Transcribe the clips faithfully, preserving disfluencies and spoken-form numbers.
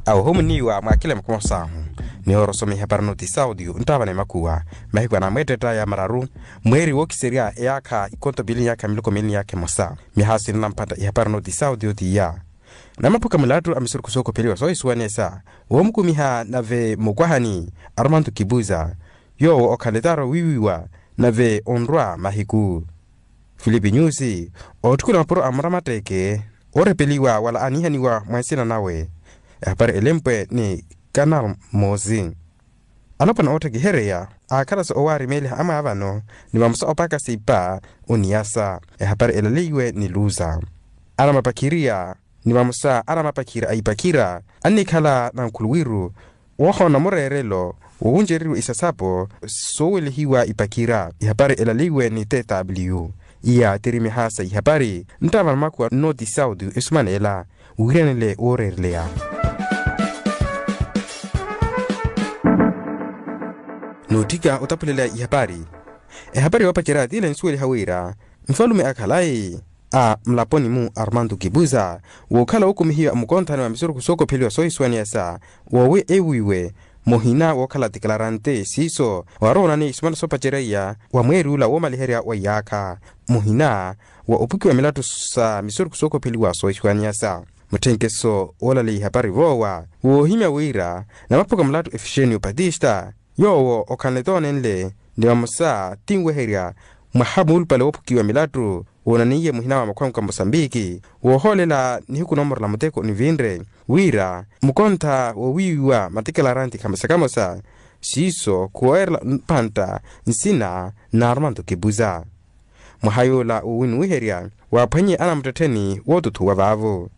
Awo ohumuniwa mwaakila makumasaahu. Nihoorosoma ihapari noti saudio nttaavana emakuwa mahiku anamweettetta ya mararu, mweeri wookiserya eyaakha ikonto piili ni yaakha miloko miili ni yaakha emosa. Mihaasi nnamphantta ihapari noti saudio tiya. Namaphuka mulattu a misurukhu sookopheliwa soohisuwanesa woomukumiha nave mukwahani armanto kipuza, yoowo okhala etaaro wiiwiwa nave onrwa mahiku. Filipi nyusi ootthukula mapuro a muramatteeke oorepeliwa wala aaniihaniwa mwa nsina nawe. Ehapari elempwe ni kanal moosi. Alopwana ootthekihereya aakhala-so owaarimeeliha amwaavano ni vamosa opaakasa ipa oniyasa. Ehapari elaleiwe ni luza. Anamapakhiriya ni vamosa anamapakhira a ipakhira annikhala nankhuluwiru woohoona mureerelo wowuncereriwa isasapo soowelihiwa ipakhira. Ihapari elaleiwe ni tw iya tiri mihaasa ihapari nttaavana makuwa noti saudio esumanela wiiranele wooreereleya. Nootthika otaphulela ihapari. Ehapari yoopacerya tile nsuweliha wira nfalume akhalayi a mulaponi-mu armanto kipuza wookhala wookumihiwa mukonthani wa misurukhu sookopheliwa soohisuwaniyasa woowi ewiiwe muhina wookhala tikilarante siiso waarowa onaniya isumana soopacerya wa mweeri ula woomaliherya wa iyaakha muhina wa opukiwa milattu sa misurukhu sookopheliwa soohisuwaniyasa. Mutthenkeso woolaleya ihapari voowa woohimya wira namaphuka mulattu efixenio patista yoowo okhala nitoonenle ni vamosa tinweherya mwaha muulupale woophukiwa milattu woonaniye muhina wa makhwamukha mosambiki woohoolela nihiku noomorela muteko onivinre wira mukontha wowiiwiwa matikilaranti khamosa khamosa siiso khuweerela mpantta nsina n'armanto kipuza. Mwaha yoola wowinuwiherya waaphwannye anamuttettheni wootuthuwa vaavo.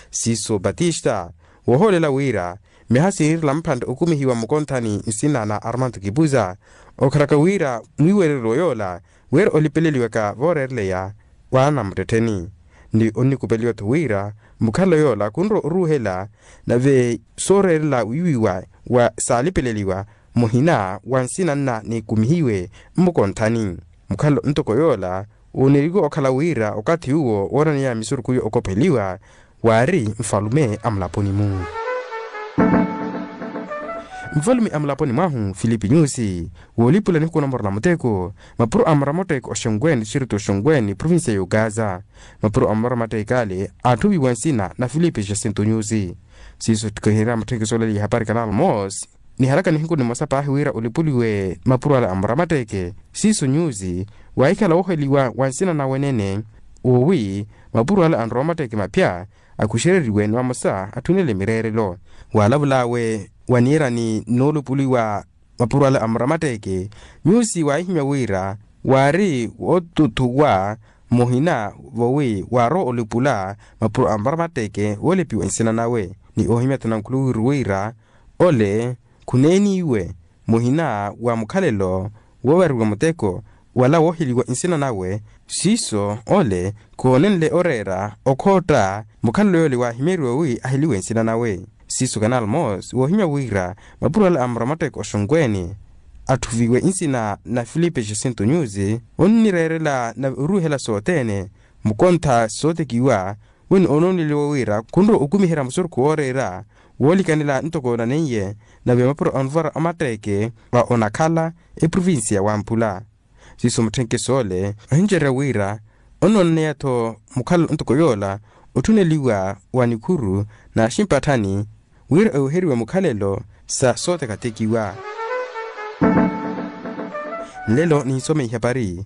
Siiso batista woohoolela wira miha siirela mpantte okumihiwa mukonthani nsina na armanto kipuza okhalaka wira mwiiwereryo yoola wira olipeleliwaka vooreereleya wa anamuttettheni ni onnikupeliwa-tho wira mukhalelo yoola khunrowa oruuhela nave sooreerela wiiwiwa wa saalipeleliwa muhina wa nsina nna nikumihiwe mmukonthani. Mukhalelo ntoko yoola wooneriwe okhala wira okathi uwo woonaniya misurukhu yo okopheliwa waari nfalume a mulaponi-mu. Nfalume a mulaponi mwahu filipi nyusi woolipula nihuku noomorela muteko mapuro a muramatteeke oxonkwene distritu oxonkwene provincia y'okaza. Mapuro a muramatteeke ale aatthuviwa nsina na filipi jacinto nyusi. Siiso ttikiherya mutthenkeso olaleya ihapari kanal mosi nihalaka nihiku nimosa paahi wira olipuliwe mapuro ale a muramatteeke siiso nyusi waahikhala wooheliwa wa nsina nawe nene woowi mapuro ale a muramatteeke maphya akhuxereriwe ni vamosa atthunele mireerelo. Waalavul'awe waniirani noolupuliwa mapuro ale a muramatteeke nyusi waahihimya wira waari wootuthuwa muhina voowi waarowa olipula mapuro a muramatteeke woolipiwa nsina nawe ni oohimya-tho nankhuluwiru wira ole khuneeniwe muhina wa mukhalelo woovariwa muteko wala wooheliwa nsina nawe siiso ole khoonenle oreera okhootta mukhalelo yoole waahimyeriwa wi aheliwe nsina nawe. Siiso kanal mosi woohimya wira mapuro ale a muramatteeke oxonkwene atthuviwe nsina na filipi jacinto nyusi onnireerela nave oruuhela sothene mukontha sootekiwa wino onooneliwa wira khunrowa okumiherya musurukhu wooreera woolikanela ntoko onaneiye nave mapuro a onvara omatteeke wa onakhala eprovincia wampula. Siiso mutthenkeso ole ohincererya wira onoonaneya-tho mukhalelo ntoko yoola otthuneliwa wa nikhuru n'aximpatthani wira eweheriwe mukhalelo sa sooteketekiwa. Nlelo ninsome ihapari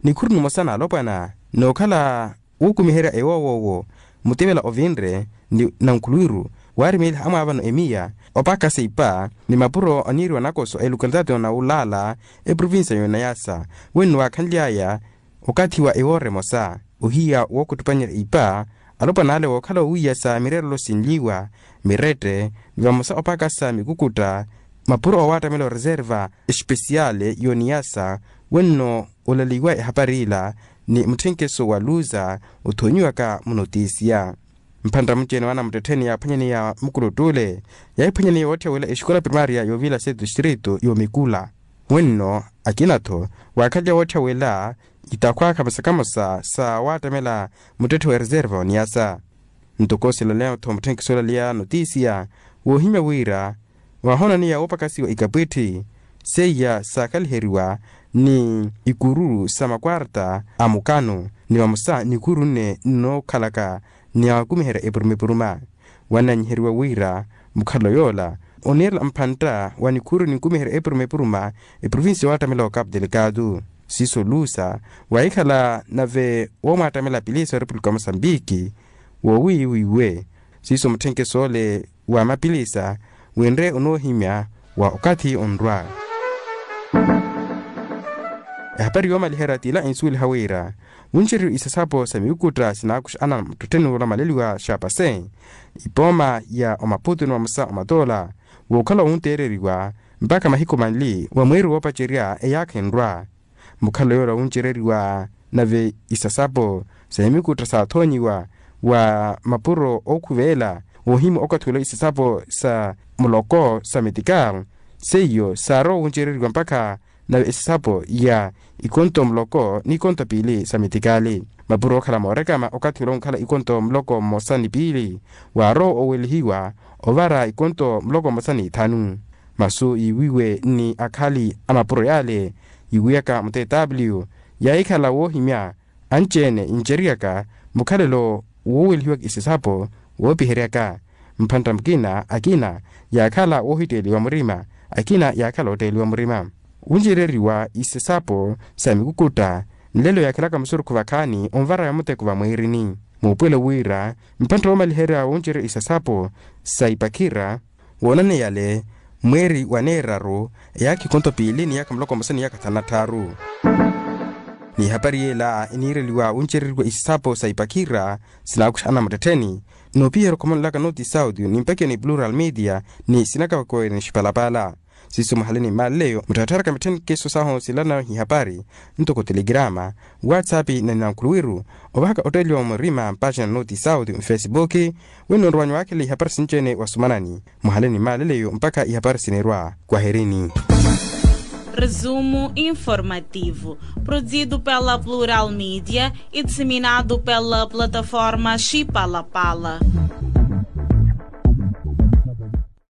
nikhuru nimosa n'alopwana n'okhala wuukumiherya ewoowoowo mutivela ovinre ni nankhuluwiru waarimeeliha amwaavano emiya opaakasa ipa ni mapuro aniiriwa nakoso a elokalitaati yonawulaala eprovincia yonayasa wenno waakhanly'aya okathi wa ewoora emosa ohiya wookhuttupanyerya ipa alopwana ale wookhala owiiyasa mireerelo sinliwa mirette ni vamosa opaakasa mikukutta mapuro owaattamela oreserva espesiale yoniyasa wenno olaliwa ehapari ila ni mutthenkeso wa luza othonyiwaka munotisiya. Mphantta mucene wa anamuttettheni yaaphwanyaneya mukuluttuule yaahiphwanyaneya wootthiya wela exikola primaria yoovila se distrito yomikula wenno akina-tho waakhalya wootthiya wela itakhwa khamosa khamosa sa waattamela muttetthe wa reserva oniyasa. Ntoko silaleya-tho mutthenkiso olaleya notisiya woohimya wira waahoonaniya woopakasiwa ikapwitthi seiya saakhaliheriwa ni ikuru sa makwarta a mukano ni vamosa ni ikuru nne nnookhalaka ni akumiherya epuruma-epuruma. Wannanyiheriwa wira mukhalo yoola oniirela mphantta wa nikhuuru ninkumiherya epuruma-epuruma eprovincia waattamela wa capu delicado. Siiso lusa waahikhala nave woomwaattamela apilisa wa repupulika wa mosambiki woowiiwiiwe. Siiso mutthenkeso ole wa mapilisa winre onoohimya wa okathi onrwa. Ehapari yoomaliherya t'ila ensuweliha wira wuncereriwa isasapo sa miwukutta sinaakuxa ana muttettheni wolamaleliwa xapase ipooma ya omaputu ni vamosa omatoola wookhala wunteereriwa mpakha mahiku manli wa mweeri woopacerya eyaakha enrwa. Mukhalo yoola wuncereriwa nave isasapo sa imikutta saathoonyiwa wa mapuro ookhuveela woohimya okathi wala isasapo sa muloko sa metikal seiyo saarowa wuncereriwa mpakha nave isasapo ya ikonto muloko ni ikonto piili sa metikali. Mapuro ookhala moorekama okathi wala wunkhala ikonto muloko mmosa ni piili waarowa owelihiwa ovara ikonto muloko mmosa ni ithanu. Masu yiiwiwe ni akhali a mapuro yaale yiiwiyaka mutw yaahikhala woohimya anci-ene yinceryaka mukhalelo woowelihiwaka isasapo woopiheryaka mphantta mukina akina yaakhala woohitteeliwa murima akina yaakhala ootteeliwa murima. Wuncereriwa isasapo sa mikukutta nlelo yaakhelaka musurukhu vakhaani onvara ya muteko vamweerini muupuwelo wira mphantta woomaliherya wuncerya isasapo sa ipakhira woonaneyale mweeri wa neeraru eyaakha ikonto piili ni yaakha muloko mmosa ni yaakha thanu na tthaaru. Ni ehapari yeela eniireliwa wuncereriwa isasapo sa ipakhira sinaakuxa ana muttettheni noopiherya okhomonelaka nooti sauti ni mpakiyo ni plural media ni sinakawakowe ni xipalapala. Siiso muhale ni mmaaleyo mutthattharaka mitthenkeso sahu silana ihapari ntoko telegirama whatsapp na ninankhulu wiru ovahaka otteeliwa murima mpaxina nooti sauti mfesibuki winnoonrowanyu waakhela ihapari sinci-ene wasumanani. Muhale ni mmaaleyo mpakha ihapari sinirwa kwaherini. Resumo informativo, produzido pela Plural Media e disseminado pela plataforma Xipalapala.